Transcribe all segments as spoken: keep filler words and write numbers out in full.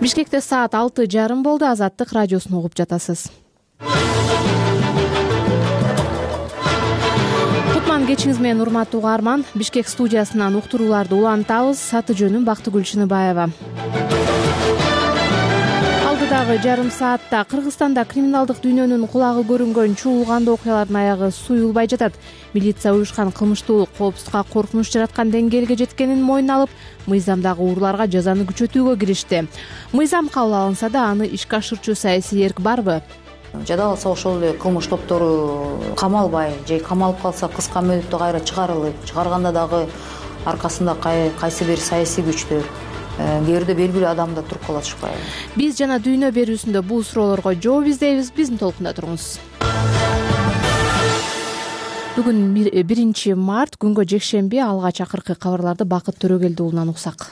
Бишкекте саат алты жарым болду. Азаттык радиосун угуп жатасыз. Кутман кечиңиз менен урматтуу угарман. Бишкек студиясынан уктурууларды улантабыз. Аты жөнүм Бактыгүл Чыныбаева. Алдыдагы жарым саатта Кыргызстанда криминалдык дүйнөнүн кулагы көрүнгөн чуулгандуу окуялардын аягы суюлбай жатат. Милиция уюшкан кылмыштуулук коопсуздукка коркунуч жараткан деңгээлге жеткенин мойнуна алып, мыйзамдагы урларга жазаны күчөтүүгө киришти. Мыйзам кабыл алынса да, аны ишке ашырчу саясий эрк барбы? Жада калса ошол эле кылмыш топтору камалбай же камалып калса кыска мөөнөттө кайра чыгарылып, чыгарганда дагы аркасында кайсы бир саясий күчтөр, кээ бирде белгилүү адамдар туруп кала атышпайбы? Биз жана дүйнө берүүсүндө бул суроолорго жооп издейбиз. Биздин толкунда туруңуз. Бүгүн биринчи март, күнгө жекшемби. Алгач акыркы кабарларды Бакыт Төрөгелди уулунан уксак.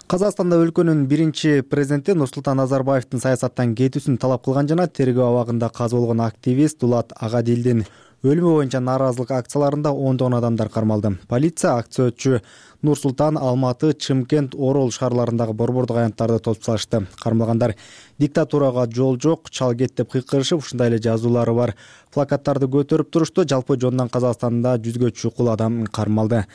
Казакстанда өлкөнүн биринчи президенти Нурсултан Назарбаевдин саясаттан кетүүсүн талап кылган жана тергөө абагында каза болгон активист Дулат Агадилдин өлүмү боюнча нааразылык акцияларында ондогон адамдар кармалды. Полиция акция Нур-Султан, Алматы, Чымкент, Орол шаарларындагы борбордук аянттарды тосуп салышты. Кармалгандар диктатурага жол жок, чал кет деп кыйкырышып, ушундай эле жазуулары бар плакаттарды көтөрүп турушту. Жалпы жонунан Казакстанда жүзгө чукул адам кармалды.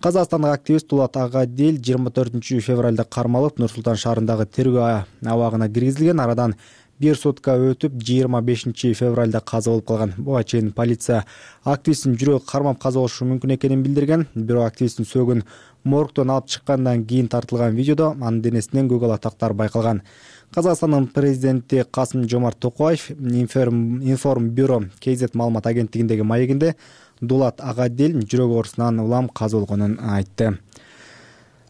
Казакстандык активист Дулат Агадил жыйырма төртүнчү февралда кармалып, Нур-Султан шаарындагы тергөө абагына киргизилген. Арадан бир сутка өтүп, жыйырма бешинчи февралда каза болуп калган. Буга чейин полиция активисттин жүрөгү кармап каза болушу мүмкүн экенин билдирген. Бирок активисттин сөөгүн моргтон алып чыккандан кийин тартылган видеодо анын денесинен көк алатактар байкалган. Казакстандын президенти Касым-Жомарт Токаев Информбюро кей зет маалымат агенттигиндеги маегинде Дулат Агадил жүрөк оорусунан улам каза болгонун айтты.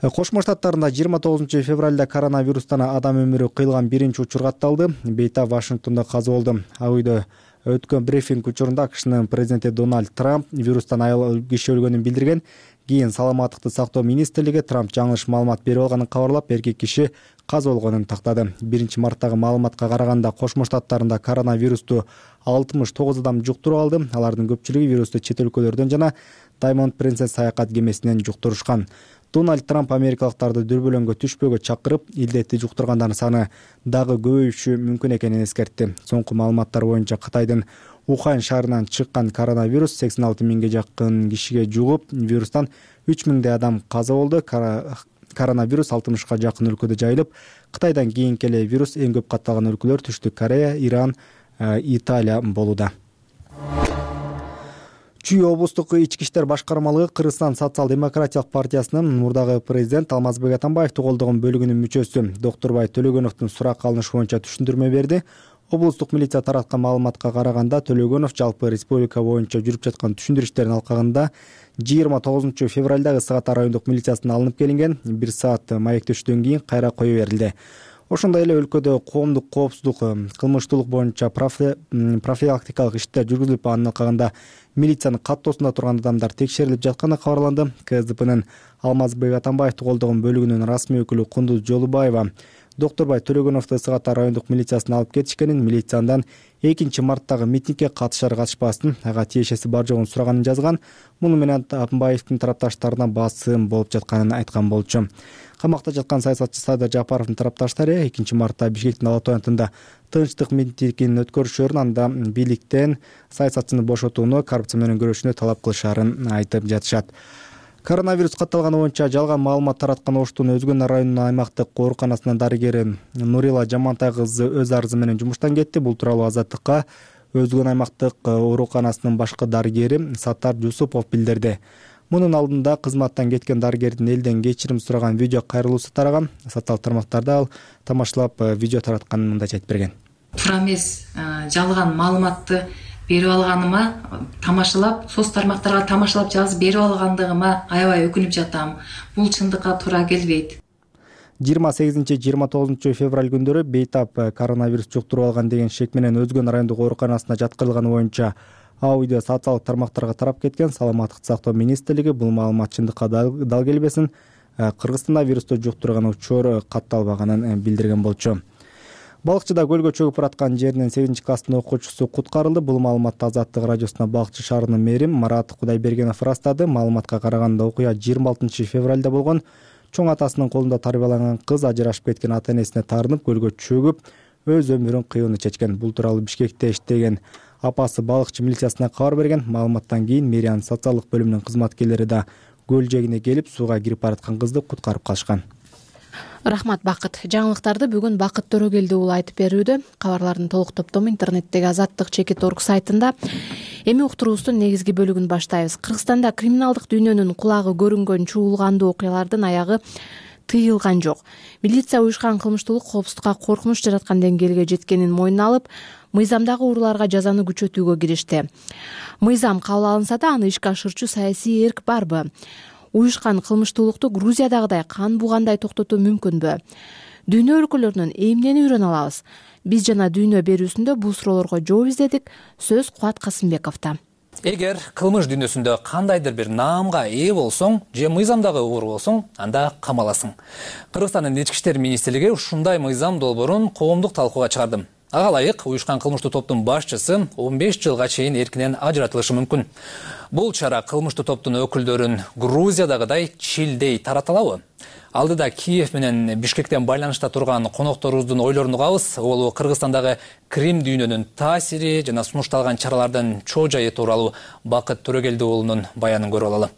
Кошмо Штаттарында жыйырма тогузунчу февралда коронавирустан адам өмүрү кыйылган биринчи учур катталды. Бейтап Вашингтондо каза болду. Ал үйдө өткөн брифинг учурунда АКШнын президенти Дональд Трамп вирустан айыл киши өлгөнүн билдирген. Кийин саламаттыкты сактоо министрлиги Трамп жаңылыш маалымат берип алганын кабарлап, эркек киши каза болгонун тактады. биринчи марттагы маалыматка караганда Кошмо Штаттарында коронавирусту алтымыш тогуз адам жуктуруп алды. Алардын көпчүлүгү вирусту чет өлкөлөрдөн жана Diamond Princess саякат кемесинен жуктурушкан. Дональд Трамп америкалыктарды дүрбөлөңгө түшпөөгө чакырып, илдетти жуктургандардын саны дагы көбөйүшү мүмкүн экенин эскертти. Соңку маалыматтар боюнча Кытайдын Ухань шаарынан чыккан коронавирус сексен алты миңге жакын кишиге жугуп, вирустан үч миңдей адам каза болду. Коронавирус алтымышка жакын өлкөдө жайылып, Кытайдан кийинки эле вирус эң көп катталган өлкөлөр Түштүк Корея, Иран, Италия болууда. Чүй облустук ички иштер башкармалыгы Кыргызстан социал-демократиялык партиясынын мурдагы президент Алмазбек Атамбаевди колдогон бөлүгүнүн мүчөсү Доктурбай Төлөгөновдун суракка алынышы боюнча түшүндүрмө берди. Облустук милиция тараткан маалыматка караганда, Төлөгөнов жалпы республика боюнча жүрүп жаткан түшүндүрүштөрдүн алкагында жыйырма тогузунчу февралда Ысык-Ата райондук милициясына алынып келинген. Бир саат маектештен кийин кайра кое берилди. Ошондой эле өлкөдө коомдук коопсуздук, кылмыштуулук боюнча профилактикалык иштер жүргүзүлүп, анын алкагында милициянын каттоосунда турган адамдар текшерилип жатканы кабарланды. КСДПнын Алмазбек Атамбаевди колдогон бөлүгүнүн расмий өкүлү Кундуз Жолубаева Доктурбай Төлөгөновду Ысык-Ата райондук милициясына алып кетишкенин, милицияндан экинчи марттагы митингге катышар катышпасын, ага тиешеси бар жогун сураганын жазган. Муну менен Атамбаевдин тарапташтарына басым болуп жатканын айткан болчу. Камакта жаткан саясатчы Садыр Жапаровдун тарапташтары экинчи мартта Бишкектин Ала Тоо аянтында тынчтык митингин өткөрүшөрүн, анда бийликтен саясатчыны бошотууну, коррупция менен күрөшүүнү талап кылышарын айтып жатышат. Коронавирус катталганы боюнча жалган маалымат тараткан Оштун Өзгөн районунун аймактык ооруканасынын дарыгери Нурила Жамантай кызы өз арызы менен жумуштан кетти. Бул тууралуу Азаттыкка Өзгөн аймактык ооруканасынын башкы дарыгери Саттар Жусупов билдирди. Мунун алдында кызматтан кеткен дарыгердин элден кечирим сураган видео кайрылуусу тараган. Социалдык тармактарда ал тамашалап видео таратканын мындайча айтып берген. Туура эмес, жалган маалыматты берип алганыма, тамашалап, соц тармактарга тамашалап жазып берип алгандыгыма аябай өкүнүп жатам. Бул чындыкка туура келбейт. жыйырма сегизинчи жыйырма тогузунчу февраль күндөрү бейтап коронавирус жуктуруп алган деген шек менен Өзгөн райондук ооруканасына жаткырылганы боюнча аудио социалдык тармактарга тарап кеткен. Саламаттыкты сактоо министрлиги бул маалымат чындыкка дал келбесин, Кыргызстанда вирусту жуктурган учур катталбаганын билдирген болчу. Балыкчыда көлгө чөгүп бараткан жеринен сегизинчи класстын окуучусу куткарылды. Бул маалыматты Азаттык радиосуна Балыкчы шаарынын мэри Марат Кудайбергенов ырастады. Маалыматка караганда окуя жыйырма алтынчы февралда болгон. чоң атасынын колунда тарбияланган кыз ажырашып кеткен ата энесине таарынып көлгө чөгүп өз өмүрүн кыюуну чечкен. Бул тууралуу Бишкекте иштеген апасы балыкчы милициясына кабар берген. Маалыматтан кийин мэриянын социалдык бөлүмүнүн кызматкерлери да көл жээгине келип сууга кирип бараткан кызды куткарып калышкан. Рахмат, Бакыт. Жаңылыктарды бүгүн Бакыт Төрөгелди уулу айтып берүүдө. Кабарлардын толук топтому интернеттеги азаттык чекит орг сайтында. Эми уктуруубуздун негизги бөлүгүн баштайбыз. Кыргызстанда криминалдык дүйнөнүн кулагы көрүнгөн чуулгандуу окуялардын аягы тыйылган жок. Милиция уюшкан кылмыштуулук коопсуздукка коркунуч жараткан деңгээлге жеткенин мойнуна алып, мыйзамдагы урууларга жазаны күчөтүүгө киришти. Мыйзам кабыл алынса да, аны ишке ашырчу саясий эрк барбы? Уюшкан кылмыштуулукту Грузиядагыдай кан бугандай токтотуу мүмкүнбү? Дүйнө өлкөлөрүнөн эмнени үйрөнө алабыз? Биз жана Дүйнө берүүсүндө бул суроолорго жооп издедик. Сөз Кубат Касымбековдо. Эгер кылмыш дүйнөсүндө кандайдыр бир наамга ээ болсоң же мыйзамдагы оор болсоң, анда камаласың. Кыргызстандын ички иштер министрлиги ушундай мыйзам долбоорун коомдук талкууга чыгарды. Ага ылайык уюшкан кылмыштуу топтун башчысы он беш жылга чейин эркинен ажыратылышы мүмкүн. Бул чара кылмыштуу топтун өкүлдөрүн Грузиядагыдай чилдей тараталабы? Алдыда Киев менен Бишкектен байланышта турган конокторубуздун ойлорун угабыз. Ол Кыргызстандагы крим дүйнөнүн таасири жана сунушталган чаралардын чоо жайы тууралуу Бакыт Төрөгелди уулунун баянын көрүп алалы.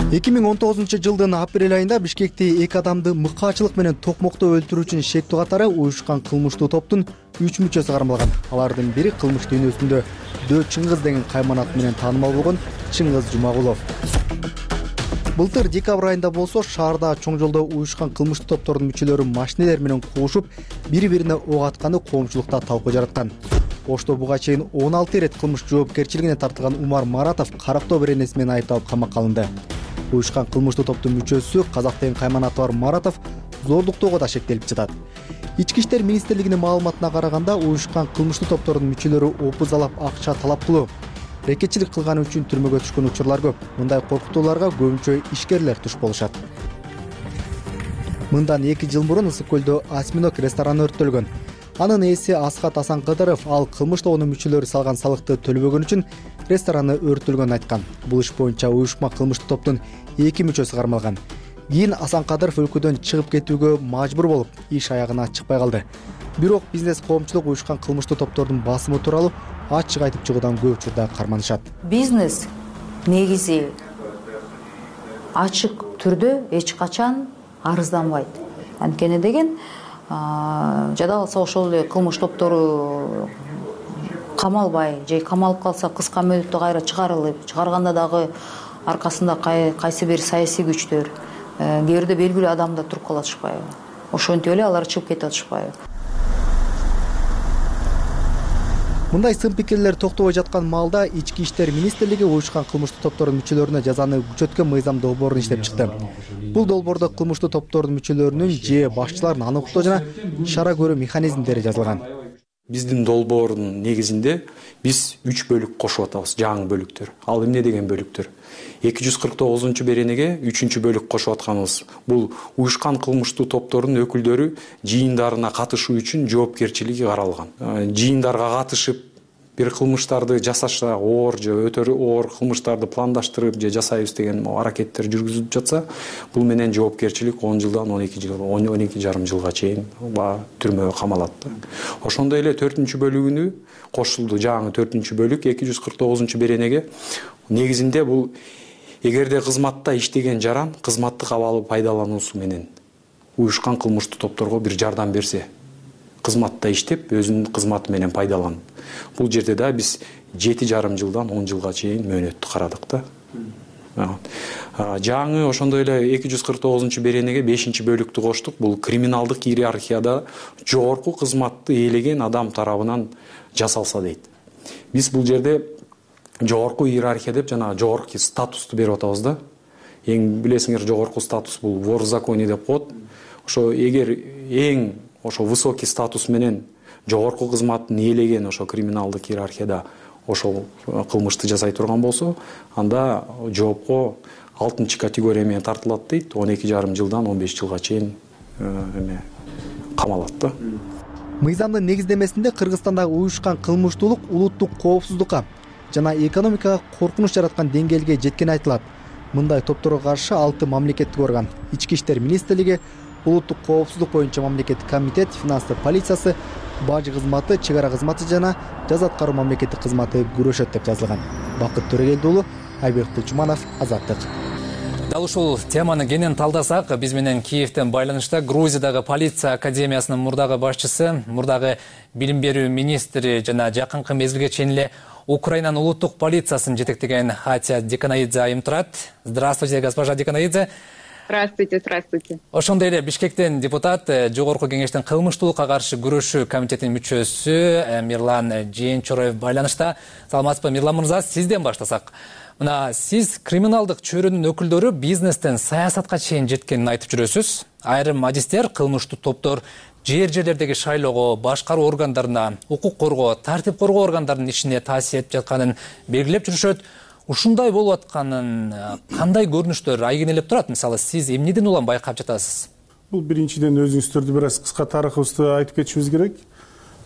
эки миң он тогузунчу жылдын апрель айында Бишкекте эки адамды мыкаачылык менен токмоктоо өлтүрүү үчүн шектүү катары уюшкан кылмыштуу топтун үч мүчөсү кармалган. Алардын бири кылмыш дүйнөсүндө Дөө Чыңгыз деген кайман аты менен таанымал болгон Чыңгыз Жумагулов. Былтыр декабрь айында болсо шаарда чоң жолдо уюшкан кылмыштуу топтордун мүчөлөрү машинелер менен куушуп, бири-бирине ок атканы коомчулукта талкуу жараткан. Ошто буга чейин он алты ирет кылмыш жоопкерчилигине тартылган Умар Маратов Карактоо беренеси менен айыпталып камакка алынды. Уюшкан кылмыштуу топтун мүчөсү Казак деген кайман аты бар Маратов зордуктоого да шектелип жатат. Ички иштер министрлигинин маалыматына караганда, уюшкан кылмыштуу топтордун мүчөлөрү опузалап акча талап кылуу, рекетчилик кылганы үчүн түрмөгө түшкөн учурлар көп. Мындай коркутууларга көбүнчө ишкерлер туш болушат. Мындан эки жыл мурун Ысык көлдө Осьминог рестораны өрттөлгөн. Анын ээси Асхат Асанкыдыров ал кылмыш тобунун мүчөлөрү салган салыкты төлөбөгөн үчүн рестораны өрттөлгөнүн айткан. Бул иш боюнча уюшма кылмыштуу топтун эки мүчөсү кармалган. Кийин Асанкадыров өлкөдөн чыгып кетүүгө мажбур болуп, иш аягына чыкпай калды. Бирок бизнес коомчулук уюшкан кылмыштуу топтордун басымы тууралуу ачык айтып чыгуудан көп учурда карманышат. Бизнес негизи ачык түрдө эч качан арызданбайт. Анткени деген жада калса ошол эле кылмыш топтору камалбай же камалып калса кыска мөөнөттө кайра чыгарылып, чыгарганда дагы аркасында кайсы бир саясий күчтөр, кээ бирде белгилүү адамдар туруп кала атышпайбы? Ошентип эле алар чыгып кете атышпайбы? Мындай сын пикирлер токтобой жаткан маалда ички иштер министрлиги уюшкан кылмыштуу топтордун мүчөлөрүнө жазаны күчөткөн мыйзам долбоорун иштеп чыкты. Бул долбоордо кылмыштуу топтордун мүчөлөрүнүн же башчыларын аныктоо жана чара көрүү механизмдери жазылган. Биздин долбоордун негизинде биз үч бөлүк кошуп атабыз, жаңы бөлүктөр. Ал эмне деген бөлүктөр? эки жүз кырк тогузунчу беренеге үчүнчү бөлүк кошуп атканыбыз. Бул уюшкан кылмыштуу топтордун өкүлдөрү жыйындарына катышуу үчүн жоопкерчилиги каралган. Жыйындарга катышып бир кылмыштарды жасашта оор же өтө оор кылмыштарды пландаштырып же жасайбыз деген аракеттер жүргүзүлүп жатса, бул менен жоопкерчилик он жылдан он эки жыл, он эки жарым жылга чейин түрмөгө камалат. Ошондой эле төртүнчү бөлүгүнү кошулду, жаңы төртүнчү бөлүк эки жүз кырк тогузунчу беренеге. Негизинде бул эгерде кызматта иштеген жаран кызматтык абалы пайдалануусу менен уюшкан кылмыштуу топторго бир жардам берсе, кызматта иштеп өзүнүн кызматы менен пайдаланып. Бул жерде да биз жети жарым жылдан он жылга чейин мөөнөттү карадык да. Жаңы ошондой эле эки жүз кырк тогузунчу беренеге бешинчи бөлүктү коштук. Бул криминалдык иерархияда жогорку кызматты ээлеген адам тарабынан жасалса дейт. Биз бул жерде жогорку иерархия деп жана жогорку статусту берип атабыз да. Эң билесиңер, жогорку статус бул вор в законе деп коет. Ошо эгер эң ошо высокий статус менен жогорку кызматын ээлеген ошо криминалдык иерархияда ошол кылмышты жасай турган болсо, анда жоопко алтынчы категория менен тартылат дейт. он эки жарым жылдан он беш жылга чейин эме камалат да. Мыйзамдын негиздемесинде Кыргызстандагы уюшкан кылмыштуулук улуттук коопсуздукка, жана экономикага коркунуч жараткан деңгээлге жеткени айтылат. Мындай топторго каршы алты мамлекеттик орган, Ички иштер министрлиги, улуттук коопсуздук боюнча мамлекеттик комитет, финанстар полициясы, бажы кызматы, чек ара кызматы жана жаза аткаруу мамлекеттик кызматы күрөшөт деп жазылган. Бакыт Төрөгелди уулу, Айбек Кулчуманов, Азаттык. Дал ушул теманы кенен талдасак, биз менен Киевден байланышта Грузиядагы полиция академиясынын мурдагы башчысы, мурдагы билим берүү министри жана жакынкы мезгилге чейин эле Украинанын улуттук полициясын жетектеген Хатия Деканаидзе айым турат. Здравствуйте, госпожа Деканаидзе. Здравствуйте, здравствуйте. Ошондой эле Бишкектен депутат, Жогорку кеңештин кылмыштуулукка каршы күрөшүү комитетинин мүчөсү Мирлан Жээнчороев байланышта. Саламатсызбы, Мирлан мырза, сизден баштасак. Мына сиз криминалдык чөйрөнүн өкүлдөрү бизнестен саясатка чейин жеткенин айтып жүрөсүз. Айрым адистер кылмыштуу топтор жер жерлердеги шайлоого, башкаруу органдарына, укук коргоо, тартип коргоо органдарынын ишине таасир этип жатканын белгилеп жүрүшөт. Ушундай болуп атканын кандай көрүнүштөр айгинелеп турат? Мисалы, сиз эмнеден улам байкап жатасыз? Бул биринчиден өзүңүздөрдү бир аз кыска тарыхыбызды айтып кетишибиз керек.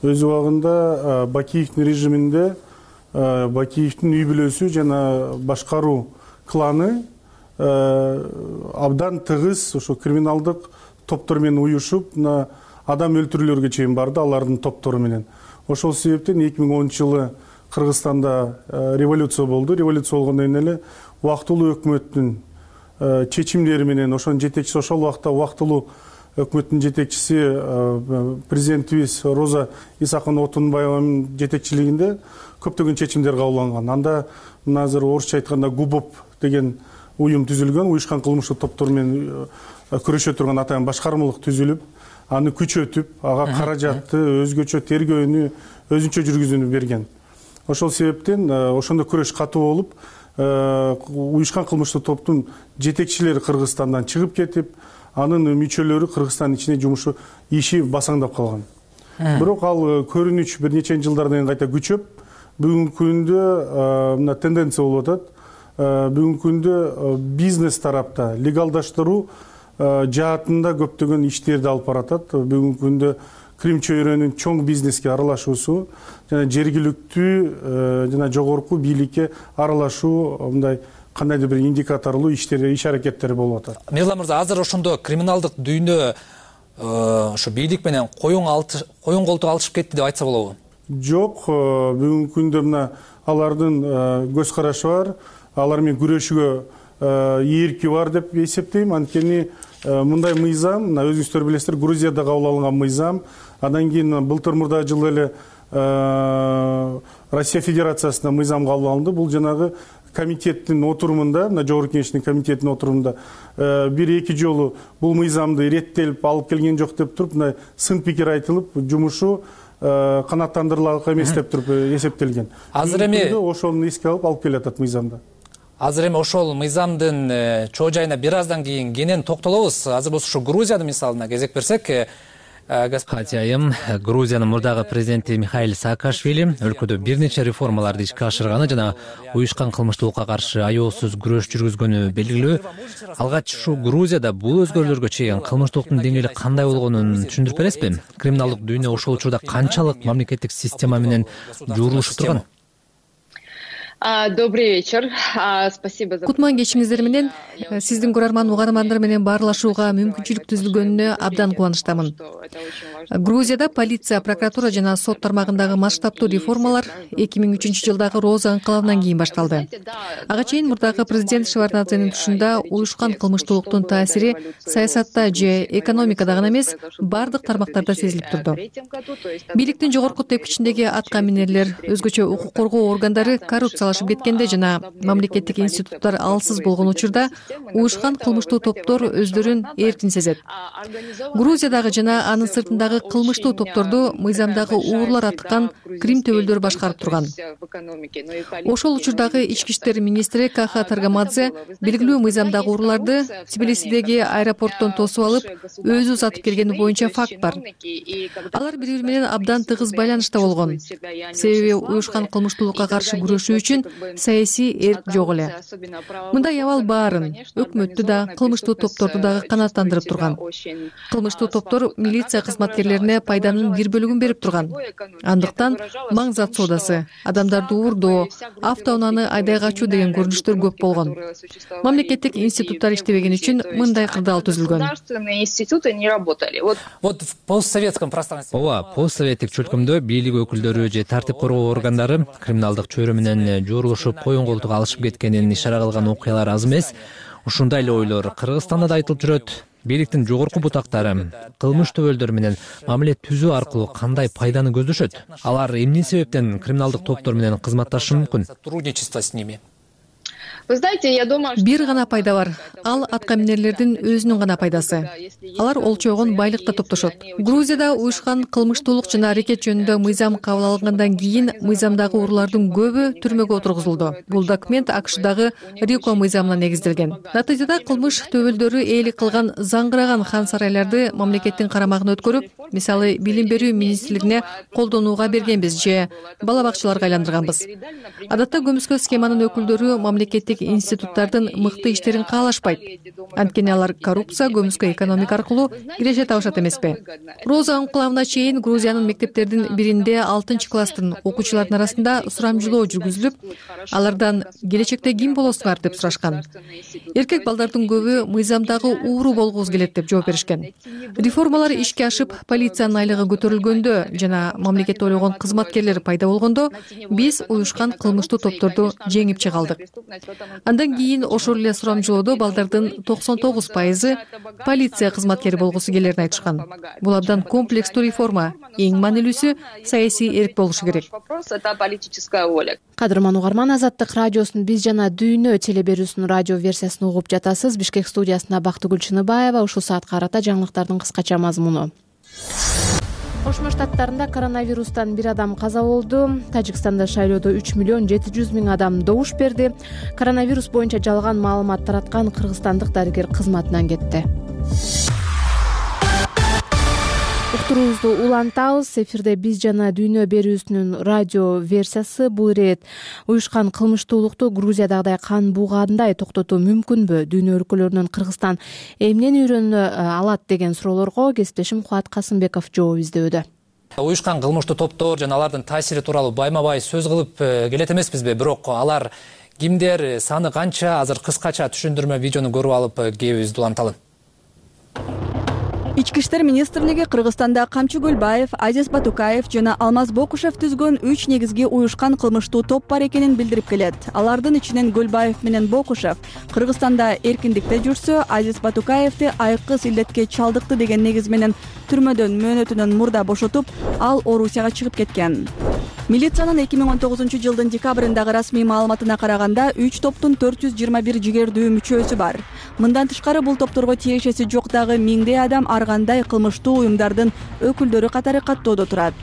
Өз убагында Бакиевдин режиминде Бакиевдин үй бүлөсү жана башкаруу кланы абдан тыгыз ошо криминалдык топтор менен уюшуп, адам өлтүрүүлөргө чейин барды алардын топтору менен. Ошол себептен эки миң онунчу жылы Кыргызстанда революция болду. Революция болгондон кийин эле убактылуу өкмөттүн чечимдери менен ошонун жетекчиси, ошол убакта убактылуу өкмөттүн жетекчиси президентибиз Роза Исаховна Отунбаеванын жетекчилигинде көптөгөн чечимдер кабыл алынган. Анда мына азыр орусча айтканда ГУБОП деген уюм түзүлгөн, уюшкан кылмыштуу топтор менен күрөшө турган атайын башкармалык түзүлүп, аны күчөтүп, ага каражатты, өзгөчө тергөөнү, өзүнчө жүргүзүүнү берген. Ошол себептен ошондо күрөш катуу болуп, уюшкан кылмыштуу топтун жетекчилери Кыргызстандан чыгып кетип, анын мүчөлөрү Кыргызстандын ичине жумушу иши басаңдап калган. Бирок ал көрүнүч бир нече жылдардан кийин кайта күчөп, бүгүнкү күндө мына тенденция болуп атат. Бүгүнкү күндө бизнес тарапта легалдаштыруу жаатында көптөгөн иштерди алып баратат. Бүгүнкү күндө Крим чөйрөнүн чоң бизнеске аралашуусу жана жергиликтүү жана жогорку бийликке аралашуу мындай кандайдыр бир индикаторлуу иштер, иш аракеттери болуп атат. Мирлан мырза, азыр ошондо криминалдык дүйнө ошо бийлик менен коюн коюн колтук алышып кетти деп айтса болобу? Жок, бүгүнкү күндө мына алардын көз карашы бар, алар менен күрөшүүгө ийирки бар деп эсептейм. Анткени мындай мыйзам, мына өзүңүздөр билесиздер, Грузияда кабыл алынган мыйзам, андан кийин былтыр мурда жылы эле Россия Федерациясында мыйзам кабыл алынды. Бул жанагы комитеттин отурумунда, мына жогорку кеңештин комитетинин отурумунда бир-эки жолу бул мыйзамды иреттелип алып келген жок деп туруп, мындай сын пикир айтылып, жумушу канааттандырылак эмес деп туруп эсептелген. Азыр эми ошону эске алып алып келатат мыйзамда. Азыр эми ошол мыйзамдын чоо жайына бир аздан кийин кенен токтолобуз. Азыр болсо ушу Грузиянын мисалына кезек берсек, Хатия айым, Грузиянын мурдагы президенти Михаил Саакашвили өлкөдө бир нече реформаларды ишке ашырганы жана уюшкан кылмыштуулукка каршы аеосуз күрөш жүргүзгөнү белгилүү. Алгач ушу Грузияда бул өзгөрүүлөргө чейин кылмыштуулуктун деңгээли кандай болгонун түшүндүрүп бересизби? Криминалдык дүйнө ошол учурда канчалык мамлекеттик система менен жуурулушуп турган? Добрый вечер. Спасибо за... Кутман кечиңиздер менен сиздин көрөрман угармандар менен баарлашууга мүмкүнчүлүк түзүлгөнүнө абдан кубанычтамын. Грузияда полиция, прокуратура жана сот тармагындагы масштабтуу реформалар эки миң үчүнчү жылдагы Роза ыңкылабынан кийин башталды. Ага чейин мурдагы президент Шеварднадзенин тушунда уюшкан кылмыштуулуктун таасири саясатта же экономикада гана эмес, бардык тармактарда сезилип турду. Бийликтин жогорку тепкичиндеги атка минерлер, өзгөчө укук коргоо органдары коррупция кеткенде жана мамлекеттик институттар алсыз болгон учурда уюшкан кылмыштуу топтор өздөрүн эркин сезет. Грузиядагы жана анын сыртындагы кылмыштуу топторду мыйзамдагы уурлар аткан Крим төбөлдөр башкарып турган. Ошол учурдагы ички иштер министри Каха Таргамадзе белгилүү мыйзамдагы уурларды Тбилисидеги аэропорттон тосуп алып, өзү узатып келгени боюнча факт бар. Алар бири-бири менен абдан тыгыз байланышта болгон. Себеби уюшкан кылмыштуулукка каршы күрөшүү үчүн саясий эрк жок эле. Мындай абал баарын, өкмөттү да, кылмыштуу топторду дагы канааттандырып турган. Кылмыштуу топтор милиция кызматкерлери кызматкерлерине пайданын бир бөлүгүн берип турган. Андыктан маң зат соодасы, адамдарды уурдоо, автоунааны айдай качуу деген көрүнүштөр көп болгон. Мамлекеттик институттар иштебеген үчүн мындай кырдаал түзүлгөн. Вот в постсоветском пространстве. Ооба, постсоветтик чөлкөмдө бийлик өкүлдөрү же тартип коргоо органдары криминалдык чөйрө менен жоорулушуп коюн колтук алышып кеткенин ишара кылган окуялар аз эмес. Ушундай эле ойлор Кыргызстанда да айтылып жүрөт. Бийликтин жогорку бутактары кылмыш төбөлдөрү менен мамиле түзүү аркылуу кандай пайданы көздөшөт? Алар эмне себептен криминалдык топтор менен кызматташы мүмкүн? Сотрудничество с ними. Вы знаете, я думаю, бир гана пайда бар. Ал атка минерлердин өзүнүн гана пайдасы. Алар олчойгон байлыкта топтошот. Грузияда уюшкан кылмыштуулук жана аракет жөнүндө мыйзам кабыл алынгандан кийин мыйзамдагы уруулардын көбү түрмөгө отургузулду. Бул документ АКШдагы РИКО мыйзамына негизделген. Натыйжада кылмыш төбөлдөрү ээлик кылган заңгыраган хан сарайларды мамлекеттин карамагына өткөрүп, мисалы билим берүү министрлигине колдонууга бергенбиз же бала бакчаларга айландырганбыз. Адатта көмүскө схеманын өкүлдөрү мамлекеттик институттардын мыкты иштерин каалашпайт. Анткени алар коррупция, көмүскө экономика аркылуу киреше табышат эмеспи? Роза анкуловна чейин Грузиянын мектептердин биринде алтынчы класстын окуучулардын арасында сурамжылоо жүргүзүлүп, алардан келечекте ким болосуңар деп сурашкан. Эркек балдардын көбү мыйзамдагы ууру болгубуз келет деп жооп беришкен. Реформалар ишке ашып, полициянын айлыгы көтөрүлгөндө жана мамлекет ойлогон кызматкерлер пайда болгондо биз уюшкан кылмыштуу топторду жеңип чыга алдык. Андан кийин ошол эле сурамжылоодо балдардын токсон тогуз пайызы полиция кызматкери болгусу келерин айтышкан. Бул абдан комплекстүү реформа. Эң маанилүүсү саясий эрк болушу керек. Кадырман угарман, Азаттык радиосунун Биз жана дүйнө телеберүүсүнүн радио версиясын угуп жатасыз. Бишкек студиясында Бактыгүл Чыныбаева. Ушул саатка карата жаңылыктардын кыскача мазмуну. Кошмо Штаттарында коронавирустан бир адам каза болду. Тажикстанда шайлоодо үч миллион жети жүз миң адам добуш берди. Коронавирус боюнча жалган маалымат тараткан кыргызстандык дарыгер кызматынан кетти. Уктуруубузду улантабыз. Эфирде Биз жана дүйнө берүүсүнүн радио версиясы. Бул ирет уюшкан кылмыштуулукту Грузиядагыдай кан буугандай токтотуу мүмкүнбү? Дүйнө өлкөлөрүнөн Кыргызстан эмнени үйрөнө алат деген суроолорго кесиптешим Кубат Касымбеков жооп издөдө. Уюшкан кылмыштуу топтор жана алардын таасири тууралуу байма-бай сөз кылып келет эмеспизби? Бирок алар кимдер, саны канча? Азыр кыскача түшүндүрмө видеону көрүп алып кебибизди уланталы. Ички иштер министрлиги Кыргызстанда Камчы Гөлбаев, Азиз Батукаев жана Алмаз Бокушев түзгөн үч негизги уюшкан кылмыштуу топ бар экенин билдирип келет. Алардын ичинен Гөлбаев менен Бокушев Кыргызстанда эркиндикте жүрсө, Азиз Батукаевди айкыз илдетке чалдыкты деген негиз менен түрмөдөн мөөнөтүнөн мурда бошотуп, ал Орусияга чыгып кеткен. Милициянын эки миң он тогузунчу жылдын декабрындагы расмий маалыматына караганда үч топтун төрт жүз жыйырма бир жигердүү мүчөсү бар. Мындан тышкары бул топторго тиешеси жок дагы миңдей адам ар кандай кылмыштуу уюмдардын өкүлдөрү катары каттоодо турат.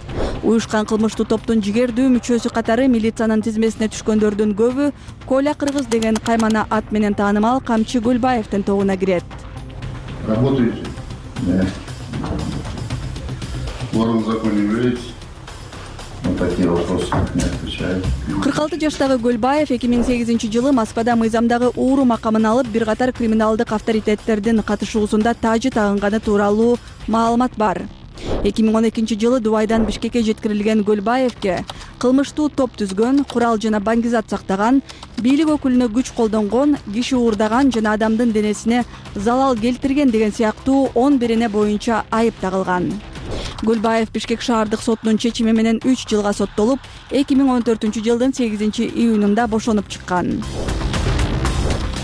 Уюшкан кылмыштуу топтун жигердүү мүчөсү катары милициянын тизмесине түшкөндөрдүн көбү Коля Кыргыз деген каймана ат менен таанымал Камчы Гөлбаевдин тобуна кирет. Работаете? Да. Ворон в законе верите? кырк алты жаштагы Гөлбаев эки миң сегизинчи жылы Москвада мыйзамдагы ууру макамын алып, бир катар криминалдык авторитеттердин катышуусунда тажы тагынганы тууралуу маалымат бар. эки миң он экинчи жылы Дубайдан Бишкекке жеткирилген Гөлбаевке кылмыштуу топ түзгөн, курал жана баңгизат сактаган, бийлик өкүлүнө күч колдонгон, киши уурдаган жана адамдын денесине залал келтирген деген сыяктуу он бирине боюнча айып тагылган. Гөлбаев Бишкек шаардык сотунун чечими менен үч жылга соттолуп, эки миң он төртүнчү жылдын сегизинчи июнунда бошонуп чыккан.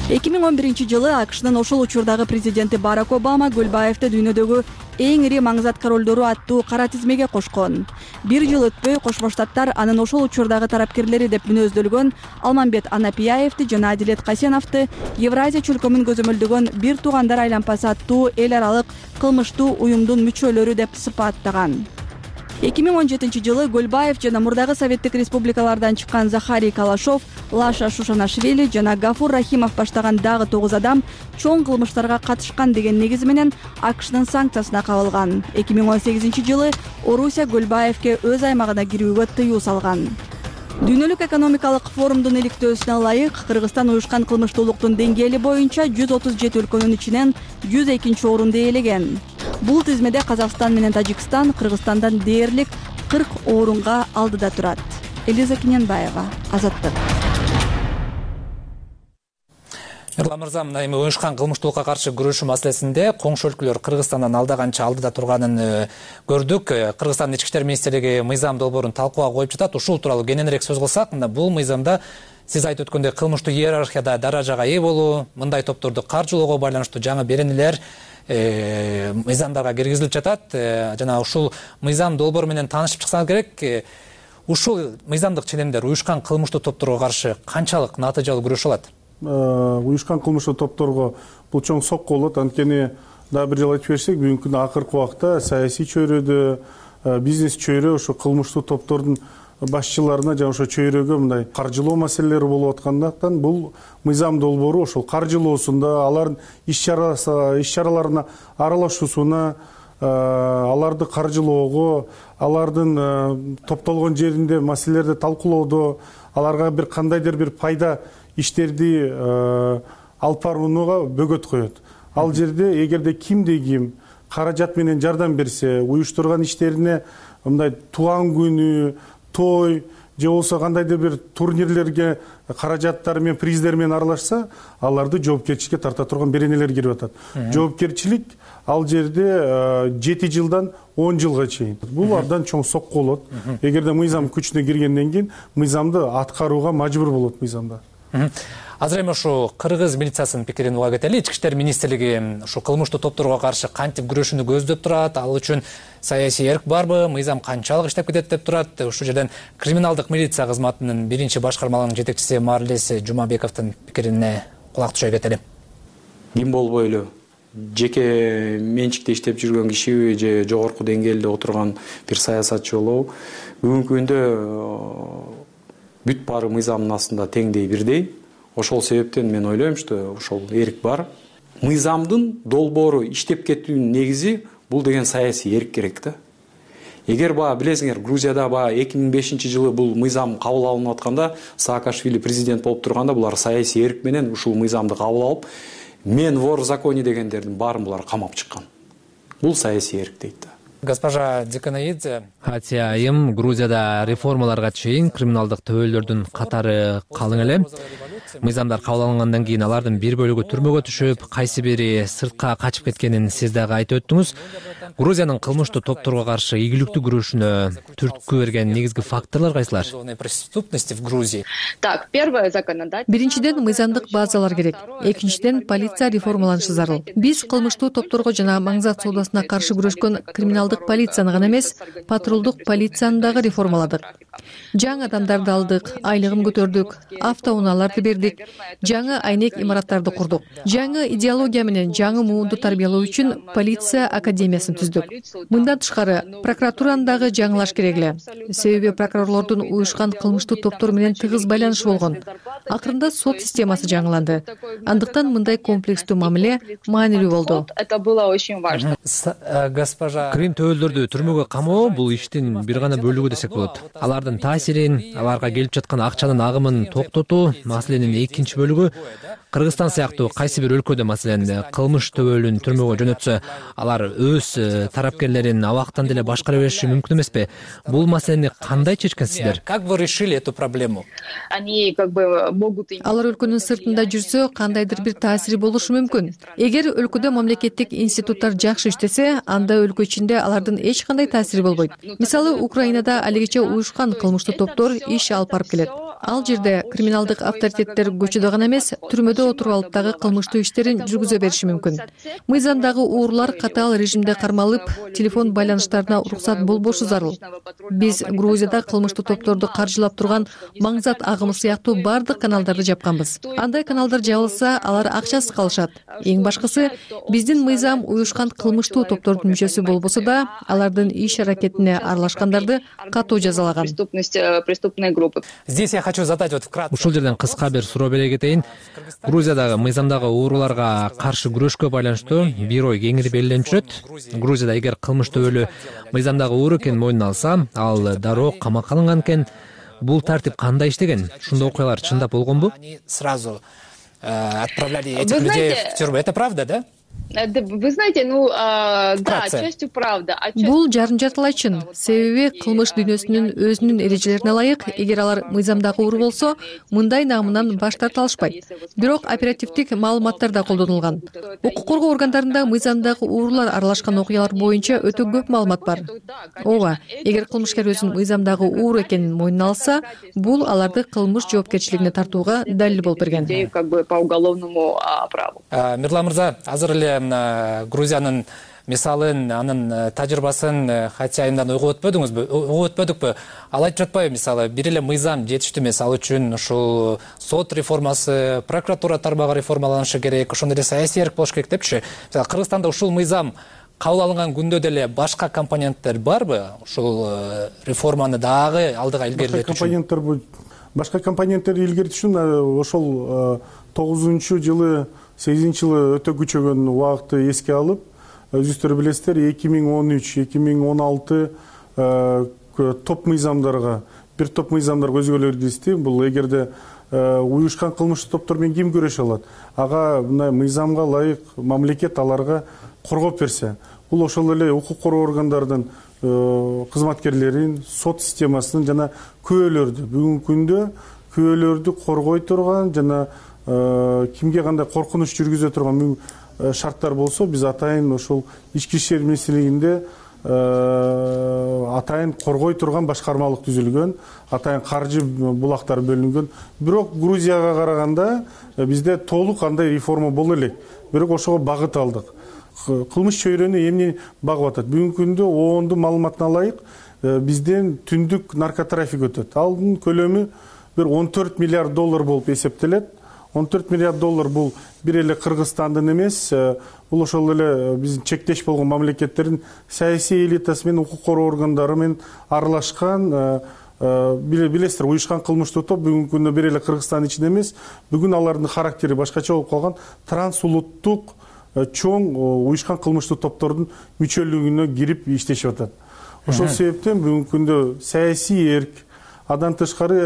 эки миң он биринчи жылы АКШнын ошол учурдагы президенти Барак Обама Гөлбаевди дүйнөдөгү эң ири маңызаткар ролдору аттуу кара тизмеге кошкон. Бир жыл өтпөй Кошмо Штаттар анын ошол учурдагы тарапкерлери деп мүнөздөлгөн Алмамбет Анапияевди жана Адилет Касеновду Евразия чөлкөмүн көзөмөлдөгөн бир туугандар айланпасы аттуу эл аралык кылмыштуу уюмдун мүчөлөрү деп сыпаттаган. эки миң он жетинчи жылы Гөлбаев жана мурдагы Советтик республикалардан чыккан Захарий Калашов, Лаша Шушанашвили жана Гафур Рахимов баштаган дагы тогуз адам чоң кылмыштарга катышкан деген негиз менен АКШнын санкциясына кабылган. эки миң он сегизинчи жылы Орусия Гөлбаевке өз аймагына кирүүгө тыюу салган. Дүйнөлүк экономикалык форумдун иликтөөсүнө ылайык, Кыргызстан уюшкан кылмыштуулуктун деңгээли боюнча жүз отуз жети өлкөнүн ичинен жүз экинчи орунду ээлеген. Бул тизмеде Казакстан менен Тажикстан Кыргызстандан дээрлик кырк орунга алдыда турат. Элиза Кененбаева, Азаттык. Эрлан мырза, мына эми уюшкан кылмыштуулукка каршы күрөшүү маселесинде коңшу өлкөлөр Кыргызстандан алда канча алдыда турганын көрдүк. Кыргызстандын ички иштер министрлиги мыйзам долбоорун талкууга коюп жатат. Ушул тууралуу кененирээк сөз кылсак, мына бул мыйзамда сиз айтып өткөндөй кылмыштуу иерархияда даражага ээ болуу, мындай топторду каржылоого байланыштуу жаңы беренелер мыйзамдарга киргизилип жатат. Жана ушул мыйзам долбоору менен таанышып чыксаңыз керек. Ушул мыйзамдык ченемдер уюшкан кылмыштуу топторго каршы канчалык натыйжалуу күрөшө алат? Уюшкан кылмыштуу топторго бул чоң сокку болот. Анткени дагы бир жолу айтып берсек, бүгүнкү күндө акыркы убакта саясий чөйрөдө, бизнес чөйрө ошо кылмыштуу топтордун башчыларына жана ошо чөйрөгө мындай каржылоо маселелери болуп аткандыктан бул мыйзам долбоору ошол каржылоосунда, алардын иш-чараларына аралашуусуна, аларды каржылоого, алардын топтолгон жеринде маселелерди талкуулоодо, аларга бир кандайдыр бир пайда иштерди алып барууга бөгөт коет. Ал жерде эгерде кимде ким каражат менен жардам берсе, уюштурган иштерине мындай туган күнү, той же болбосо кандайдыр бир турнирлерге каражаттар менен, приздер менен аралашса, аларды жоопкерчиликке тарта турган беренелер кирип атат. Жоопкерчилик ал жерде жети жылдан он жылга чейин. Бул абдан чоң сокку болот. Эгерде мыйзам күчүнө киргенден кийин мыйзамды аткарууга мажбур болот мыйзамда. Азыр эми ушу кыргыз милициясынын пикирин уга кетели. Ички иштер министрлиги ушу кылмыштуу топторго каршы кантип күрөшүүнү көздөп турат, ал үчүн саясий эрк барбы, мыйзам канчалык иштеп кетет деп турат. Ушул жерден криминалдык милиция кызматынын биринчи башкармалыгынын жетекчиси Марлес Жумабековдун пикирине кулак түшө кетели. Ким болбойлу жеке менчикте иштеп жүргөн кишиби же жогорку деңгээлде отурган бир саясатчы болобу, бүгүнкү күндө бүт баары мыйзамдын астында теңдей бирдей. Ошол себептен мен ойлойм, что ошол эрк бар. Мыйзамдын долбоору иштеп кетүүнүн негизи бул деген саясий эрк керек да. Эгер баа билесиңер, Грузияда баа эки миң бешинчи жылы бул мыйзам кабыл алынып атканда, Саакашвили президент болуп турганда булар саясий эрк менен ушул мыйзамды кабыл алып, мен вор в законе дегендердин баарын булар камап чыккан. Бул саясий эрк дейт да. Госпожа Диканаидзе, Хатия айым Грузияда реформаларга чейин криминалдык төбөлдөрдүн катары калың эле. Мыйзамдар кабыл алынгандан кийин алардын бир бөлүгү түрмөгө түшүп, кайсы бири сыртка качып кеткенин сиз дагы айтып өттүңүз. Грузиянын кылмыштуу топторго каршы ийгиликтүү күрөшүнө түрткү берген негизги факторлор кайсылар? Так, первое законодательство. Биринчиден мыйзамдык базалар керек. Экинчиден полиция реформаланышы зарыл. Биз кылмыштуу топторго жана маңзат соодасына каршы күрөшкөн криминалдык полицияны гана эмес, патрулдук полицияны дагы реформаладык. Жаңы адамдарды алдык, айлыгын көтөрдүк, автоунааларды бердик, жаңы айнек имараттарды курдук. Жаңы идеология менен жаңы муунду тарбиялоо үчүн полиция академиясын түздүк. Мындан тышкары прокуратураны дагы жаңылаш керек эле. Себеби прокурорлордун уюшкан кылмыштуу топтор менен тыгыз байланышы болгон. Акырында сот системасы жаңыланды. Андыктан мындай комплекстүү мамиле маанилүү болду. Это было очень важно. Госпожа, крим төбөлдөрдү түрмөгө камоо бул иштин бир гана бөлүгү десек болот. Алардын таасирин, аларга келип жаткан акчанын агымын токтотуу маселенин экинчи бөлүгү. Кыргызстан сыяктуу кайсы бир өлкөдө маселен кылмыш төбөлүн түрмөгө жөнөтсө, алар өз тарапкерлерин абактан деле башкара бериши мүмкүн эмеспи? Бул маселени кандай чечкенсиздер? Как вы решили эту проблему? Они как бы могут... Алар өлкөнүн сыртында жүрсө, кандайдыр бир таасири болушу мүмкүн. Эгер өлкөдө мамлекеттик институттар жакшы иштесе, анда өлкө ичинде алардын эч кандай таасири болбойт. Мисалы, Украинада алигече уюшкан кылмыштуу топтор иш алып барып келет. Ал жерде криминалдык авторитеттер көчөдө гана эмес, түрмөдө отуруп алып дагы кылмыштуу иштерин жүргүзө бериши мүмкүн. Мыйзамдагы уурлар катаал режимде кармалып, телефон байланыштарына уруксат болбошу зарыл. Биз Грузияда кылмыштуу топторду каржылап турган маңзат агымы сыяктуу бардык каналдарды жапканбыз. Андай каналдар жабылса, алар акчасыз калышат. Эң башкысы, биздин мыйзам уюшкан кылмыштуу топтордун мүчөсү болбосо да, алардын иш аракетине аралашкандарды катуу жазалаган. Преступные группы. Здесь я хочу задать вот вкратце. Ушул жерден кыска бир суроо бере кетейин. Грузиядагы мыйзамдагы ууруларга каршы күрөшкө байланыштуу бир ой кеңири белгиленип жүрөт. Грузияда эгер кылмыш төбөлү мыйзамдагы ууру экенин мойнуна алса, ал дароо камакка алынган экен. Бул тартип кандай иштеген? Ушундай окуялар чындап болгонбу? Сразу отправляли этих людей в тюрьму. Это правда, да? Вы знаете, ну да, частью правда. Бул жарым жартылай чын. Себеби кылмыш дүйнөсүнүн өзүнүн эрежелерине ылайык, эгер алар мыйзамдагы оор болсо, мындай наамынан баш тарта алышпайт. Бирок оперативдик маалыматтар да колдонулган. Укук коргоо органдарында мыйзамдагы оорлар аралашкан окуялар боюнча өтө көп маалымат бар. Ооба, эгер кылмышкер өзүнүн мыйзамдагы оор экенин мойнуна алса, бул аларды кылмыш жоопкерчилигине тартууга далил болуп берген. Как бы по уголовному праву. Мирлан мырза, азыр эле Грузиянын мисалын, анын тажрыйбасын кайсы айымдан ойго өтпөдүңүзбү? Ойго өтпөдүкпү? Ал айтып жатпайбы, мисалы, бир эле мыйзам жетиштүү эмес, ал үчүн ушул сот реформасы, прокуратура тармагы реформаланышы керек, ошондой эле саясий эрк болуш керек депчи. Кыргызстанда ушул мыйзам кабыл алынган күндө деле башка компоненттер барбы? Ушул реформаны дагы алдыга илгерилетүү үчүн. Башка компоненттер илгертүү үчүн ошол тогузунчу жылы, сегизинчи жылы өтө күчөгөн убакытты эске алып, өзүңүздөр билесиздер, эки миң он үч эки миң он алты топ мыйзамдарга, бир топ мыйзамдарга өзгөрүүлөр киргизди. Бул эгерде уюшкан кылмыштык топтор менен ким күрөшө алат? Ага мына мыйзамга ылайык мамлекет аларга коргоп берсе, бул ошол эле укук коргоо органдардын кызматкерлерин, сот системасынын жана күбөлөрдү, бүгүнкү күндө күбөлөрдү коргой турган жана кимге кандай коркунуч жүргүзө турган шарттар болсо, биз атайын ошол ички иштер министрлигинде атайын коргой турган башкармалык түзүлгөн, атайын каржы булактар бөлүнгөн. Бирок Грузияга караганда бизде толук андай реформа боло элек. Бирок ошого багыт алдык. Кылмыш чөйрөнү эмне багып атат? Бүгүнкү күндө оондун маалыматына ылайык бизден түндүк наркотрафик өтөт. Алдын көлөмү бир он төрт миллиард доллар болуп эсептелет. он төрт миллиард доллар бул бир эле Кыргызстандын эмес, бул ошол эле биздин чектеш болгон мамлекеттердин саясий элитасы менен укук коргоо органдары менен аралашкан, билесиздер, уюшкан кылмыштык топ бүгүнкү күндө бир эле Кыргызстандын ичинде эмес, бүгүн алардын характери башкача болуп калган, трансулуттук чоң уюшкан кылмыштык топтордун мүчөлүгүнө кирип иштешип атат. Ошол себептен бүгүнкү күндө саясий эрк, андан тышкары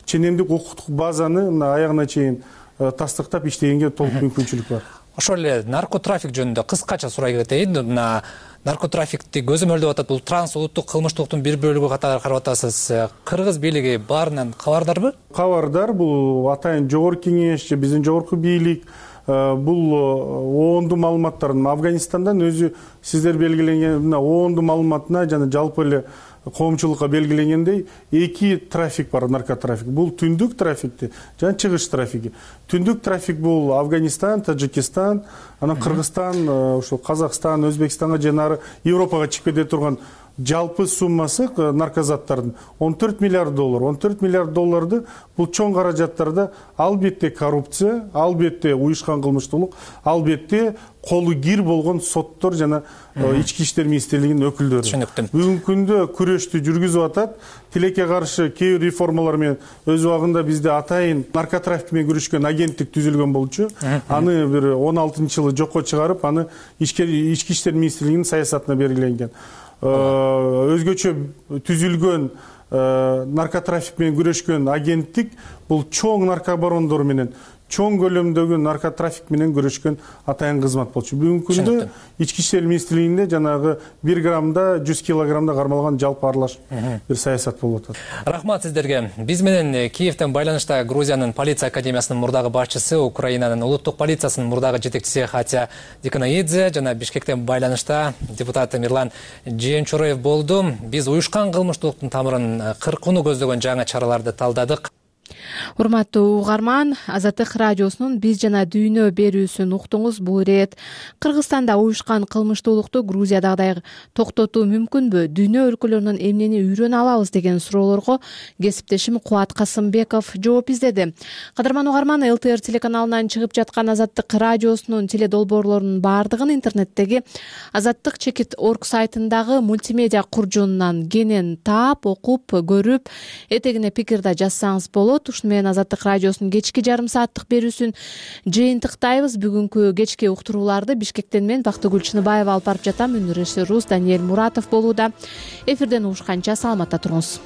ченемдик укуктук базаны аягына чейин тастыктап иштегенге толук мүмкүнчүлүк бар. Ошол эле наркотрафик жөнүндө кыскача сурай кетейин. Мына наркотрафикти көзөмөлдөп атат, бул трансулуттук кылмыштыктын бир бөлүгү катары карап атасыз. Кыргыз бийлиги баарынан кабардарбы? Кабардар. Бул атайын жогорку кеңеш, биздин жогорку бийлик, бул оондун маалыматтарын Афганистандан өзү сиздер белгиленген мына оондун маалыматына жана жалпы эле коомчулукка белгиленгендей эки трафик бар, наркотрафик. Бул түндүк трафикти жана чыгыш трафиги. Түндүк трафик бул Афганистан, Тажикистан, анан Кыргызстан, ошо Казакстан, Өзбекстанга жана Европага чыгып кете турган жалпы суммасы наркозаттардын он төрт миллиард доллар. он төрт миллиард долларды бул чоң каражаттарда албетте коррупция, албетте уюшкан кылмыштуулук, албетте колу кир болгон соттор жана ички иштер министрлигинин өкүлдөрү. Түшүнүктүү. Бүгүнкү күндө күрөштү жүргүзүп атат. Тилекке каршы кээ бир реформалар менен өз убагында бизде атайын наркотрафик менен күрөшкөн агенттик түзүлгөн болчу. Аны бир он алтынчы жылы жокко чыгарып, аны ички иштер министрлигинин саясатына белгиленген. Өзгөчө түзүлгөн наркотрафик менен күрөшкөн агенттик бул чоң наркобарондор менен, чоң көлөмдөгү наркотрафик менен күрөшкөн атайын кызмат болчу. Бүгүнкү күндө ички иштер министрлигинде жанагы бир граммда жүз килограммда кармалган жалпы аралаш бир саясат болуп атат. Рахмат сиздерге. Биз менен Киевден байланышта Грузиянын полиция академиясынын мурдагы башчысы, Украинанын улуттук полициясынын мурдагы жетекчиси Хатя Диканаидзе жана Бишкектен байланышта депутат Мирлан Жээнчураев болду. Биз уюшкан кылмыштуулуктун тамырын кыркууну көздөгөн жаңы чараларды талдадык. Урматтуу угарман, Азаттык радиосунун Биз жана дүйнө берүүсүн уктуңуз. Бул ирет Кыргызстанда уюшкан кылмыштуулукту Грузиядагыдай токтотуу мүмкүнбү? Дүйнө өлкөлөрүнөн эмнени үйрөнө алабыз деген суроолорго кесиптешим Кубат Касымбеков жооп издеди. Кадырман угарман, эл тэ эр телеканалынан чыгып жаткан Азаттык радиосунун теледолбоорлорунун баардыгын интернеттеги азаттык чекит точка орг сайтындагы мультимедиа куржунунан кенен таап, окуп, көрүп, этегине пикир да жазсаңыз болот. Ушуну менен Азаттык радиосунун кечки жарым сааттык берүүсүн жыйынтыктайбыз. Бүгүнкү кечки уктурууларды Бишкектен мен Бактыгүл Чыныбаева алып барып жатам. Өнөр режиссерубуз Даниэль Муратов болууда. Эфирден угушканча саламатта туруңуз.